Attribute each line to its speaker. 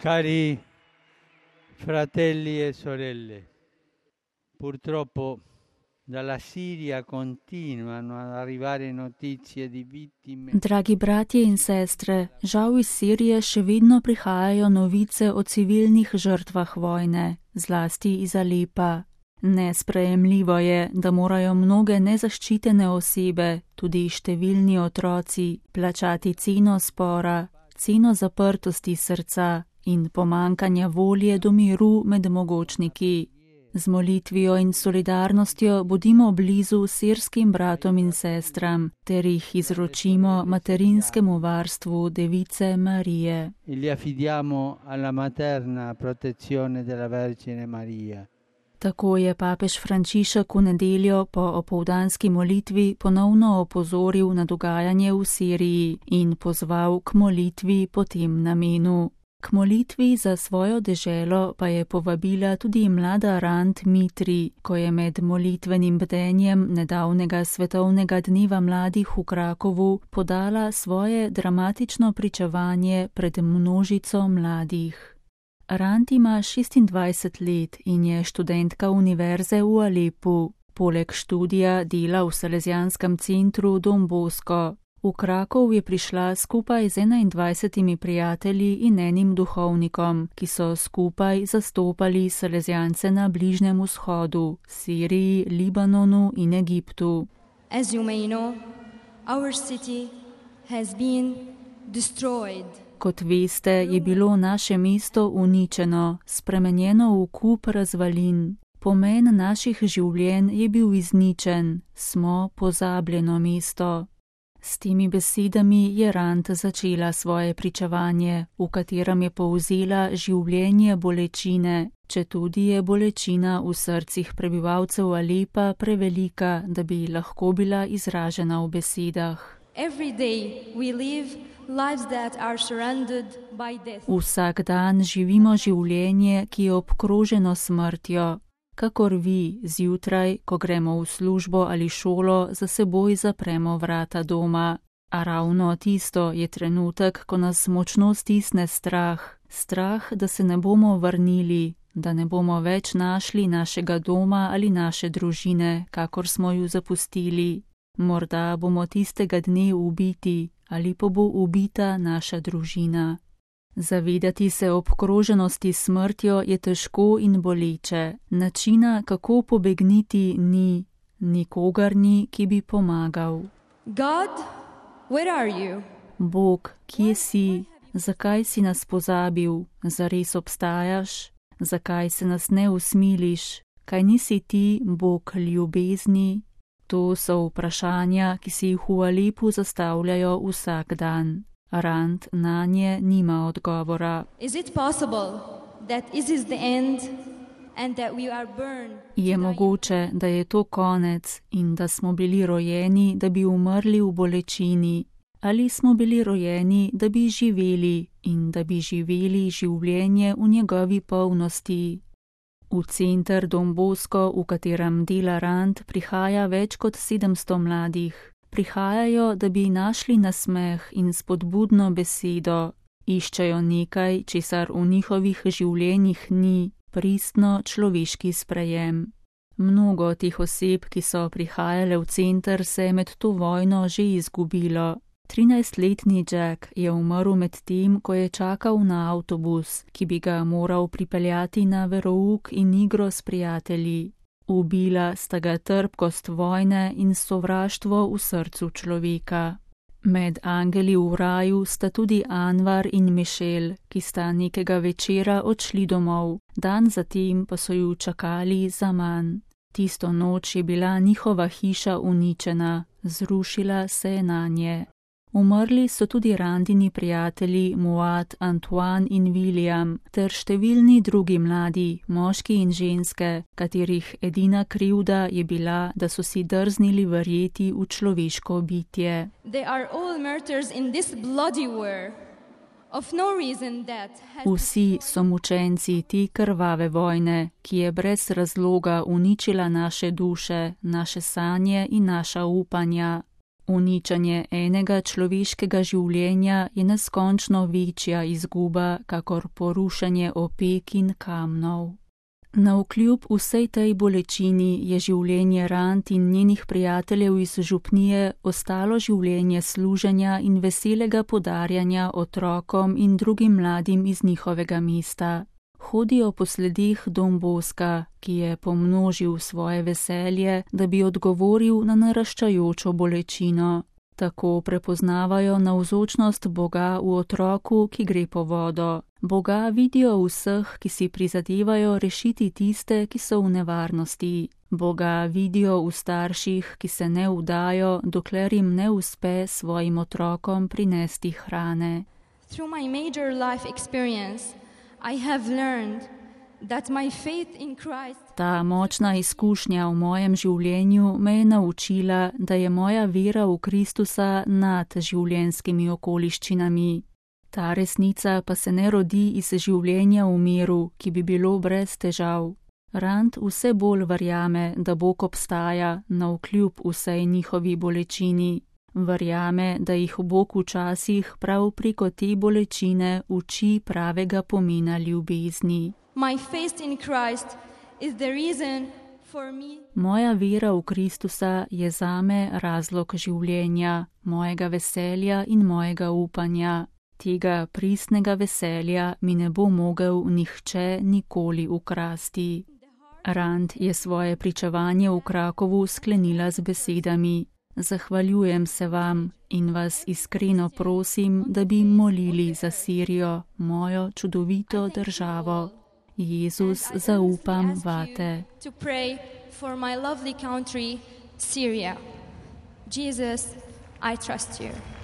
Speaker 1: Cari fratelli e sorelle, purtroppo dalla Siria continuano ad arrivare notizie di vittime.
Speaker 2: Dragi bratje in sestre, žal iz Sirije še vedno prihajajo novice o civilnih žrtvah vojne, zlasti iz Alepa. Nesprejemljivo je, da morajo mnoge nezaščitene osebe, tudi številni otroci, plačati ceno spora, ceno zaprtosti srca in pomankanja volje do miru med mogočniki. Z molitvijo in solidarnostjo bodimo blizu sirskim bratom in sestram, ter jih izročimo materinskemu varstvu Device Marije.
Speaker 1: Li affidiamo alla materna protezione della Vergine Maria.
Speaker 2: Tako je papež Frančišek v nedeljo po opoldanski molitvi ponovno opozoril na dogajanje v Siriji in pozval k molitvi po tem namenu. K molitvi za svojo deželo pa je povabila tudi mlada Rand Mitri, ko je med molitvenim bdenjem nedavnega svetovnega dneva mladih v Krakovu podala svoje dramatično pričevanje pred množico mladih. Rand ima 26 let in je študentka univerze v Alepu. Poleg študija dela v Salezijanskem centru Don Bosco. V Krakov je prišla skupaj z 21 prijatelji in enim duhovnikom, ki so skupaj zastopali Salezijance na Bližnjem vzhodu, Siriji, Libanonu in Egiptu.
Speaker 3: As you may know, our city has been destroyed.
Speaker 2: Kot veste, je bilo naše mesto uničeno, spremenjeno v kup razvalin. Pomen naših življenj je bil izničen, smo pozabljeno mesto. S temi besedami je Rand začela svoje pričevanje, v katerem je povzela življenje bolečine, četudi je bolečina v srcih prebivalcev Alepa prevelika, da bi lahko bila izražena v besedah. Vsak dan živimo življenje, ki je obkroženo smrtjo. Kakor vi, zjutraj, ko gremo v službo ali šolo, za seboj zapremo vrata doma. A ravno tisto je trenutek, ko nas močno stisne strah. Strah, da se ne bomo vrnili, da ne bomo več našli našega doma ali naše družine, kakor smo ju zapustili. Morda bomo tistega dne ubiti ali pa bo ubita naša družina. Zavedati se obkroženosti smrtjo je težko in boleče. Načina, kako pobegniti, ni. Nikogar ni, ki bi pomagal.
Speaker 3: God, where are you?
Speaker 2: Bog, kje si? Zakaj si nas pozabil? Zares obstajaš? Zakaj se nas ne usmiliš? Kaj nisi ti, Bog ljubezni? To so vprašanja, ki si jih v Alepu zastavljajo vsak dan. Rand nanje nima odgovora. Je mogoče, da je to konec in da smo bili rojeni, da bi umrli v bolečini? Ali smo bili rojeni, da bi živeli in da bi živeli življenje v njegovi polnosti? V center Don Bosco, v katerem dela Rand, prihaja več kot 700 mladih. Prihajajo, da bi našli nasmeh in spodbudno besedo. Iščejo nekaj, česar v njihovih življenjih ni, pristno človeški sprejem. Mnogo teh oseb, ki so prihajale v center, se je med to vojno že izgubilo. 13-letni Jack je umrl med tem, ko je čakal na avtobus, ki bi ga moral pripeljati na verouk in igro s prijatelji. Ubila sta ga trpkost vojne in sovraštvo v srcu človeka. Med angeli v raju sta tudi Anvar in Michelle, ki sta nekega večera odšli domov, dan zatem pa so ju čakali zaman. Tisto noč je bila njihova hiša uničena, zrušila se je nanje. Umrli so tudi Randini prijatelji Muad, Antoine in William, ter številni drugi mladi, moški in ženske, katerih edina krivda je bila, da so si drznili verjeti v človeško bitje. Vsi so mučenci te krvave vojne, ki je brez razloga uničila naše duše, naše sanje in naša upanja. Uničenje enega človeškega življenja je neskončno večja izguba, kakor porušenje opek in kamnov. Navkljub vsej tej bolečini je življenje Rand in njenih prijateljev iz župnije ostalo življenje služenja in veselega podarjanja otrokom in drugim mladim iz njihovega mesta. Hodijo po sledih Don Boska, ki je pomnožil svoje veselje, da bi odgovoril na naraščajočo bolečino. Tako prepoznavajo navzočnost Boga v otroku, ki gre po vodo. Boga vidijo v vseh, ki si prizadevajo rešiti tiste, ki so v nevarnosti. Boga vidijo v starših, ki se ne vdajo, dokler jim ne uspe svojim otrokom prinesti hrane.
Speaker 3: Through my major life experience, I have learned that my faith in Christ.
Speaker 2: Ta močna izkušnja v mojem življenju me je naučila, da je moja vera v Kristusa nad življenjskimi okoliščinami. Ta resnica pa se ne rodi iz življenja v miru, ki bi bilo brez težav. Rand vse bolj verjame, da Bog obstaja navkljub vsej njihovi bolečini. Verjame, da jih Bog včasih prav preko te bolečine uči pravega pomena ljubezni.
Speaker 3: My faith in Christ is the reason for me.
Speaker 2: Moja vera v Kristusa je zame razlog življenja, mojega veselja in mojega upanja. Tega pristnega veselja mi ne bo mogel nihče nikoli ukrasti. Rand je svoje pričevanje v Krakovu sklenila z besedami: Zahvaljujem se vam in vas iskreno prosim, da bi molili za Sirijo, mojo čudovito državo. Jezus, zaupam vate.
Speaker 3: To pray for my lovely country, Syria. Jesus, I trust you.